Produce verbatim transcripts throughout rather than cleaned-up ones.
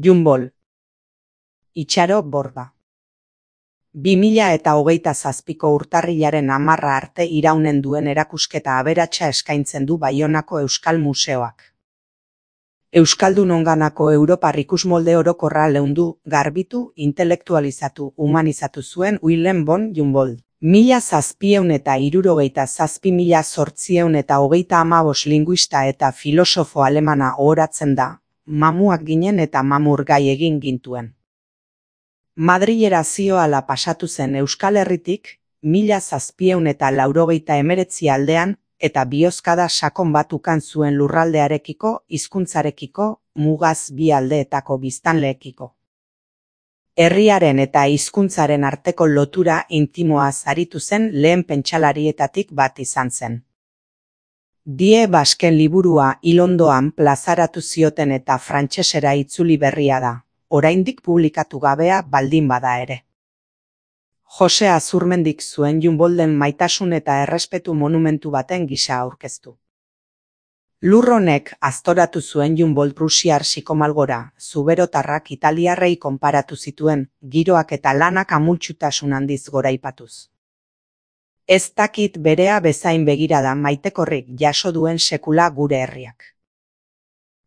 Junbol. Itxaro Borda. bi mila eta hogeita zazpiko urtarrilaren hamarra arte iraunen duen erakusketa aberatsa eskaintzen du Baionako Euskal Museoak. Euskaldunonganako Europar ikusmolde orokorra leundu, garbitu, intelektualizatu, humanizatu zuen Willem von Humboldt. Mila zazpieun eta hirurogeita zazpi mila zortzieun eta hogeita hamabos linguista eta filosofo alemana ohoratzen da, mamuak ginen eta mamur gai egin gintuen. Madrilera zioala pasatu zen Euskal Herritik, mila zazpieun eta laurogeita emeretzi aldean, eta bihozkada sakon bat ukan zuen lurraldearekiko, hizkuntzarekiko, mugaz bi aldeetako biztanleekiko. Herriaren eta hizkuntzaren arteko lotura intimoa aritu zen lehen pentsalarietatik bat izan zen. Die Basken liburua Ilondoan plazaratu zioten eta frantsesera itzuli berria da, oraindik publikatu gabea baldin bada ere. Jose Azurmendik zuen Humboldten maitasun eta errespetu monumentu baten gisa aurkeztu. Lur honek aztoratu zuen Humboldt prusiar psikomalgora, zuberotarrak italiarrei konparatu zituen, giroak eta lanak amultsutasun handiz goraipatuz. Ez dakit berea bezain begirada maitekorrik jaso duen sekula gure herriak.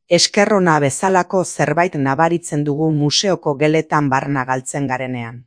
Eskerrona bezalako zerbait nabaritzen dugu museoko geletan barna galtzen garenean.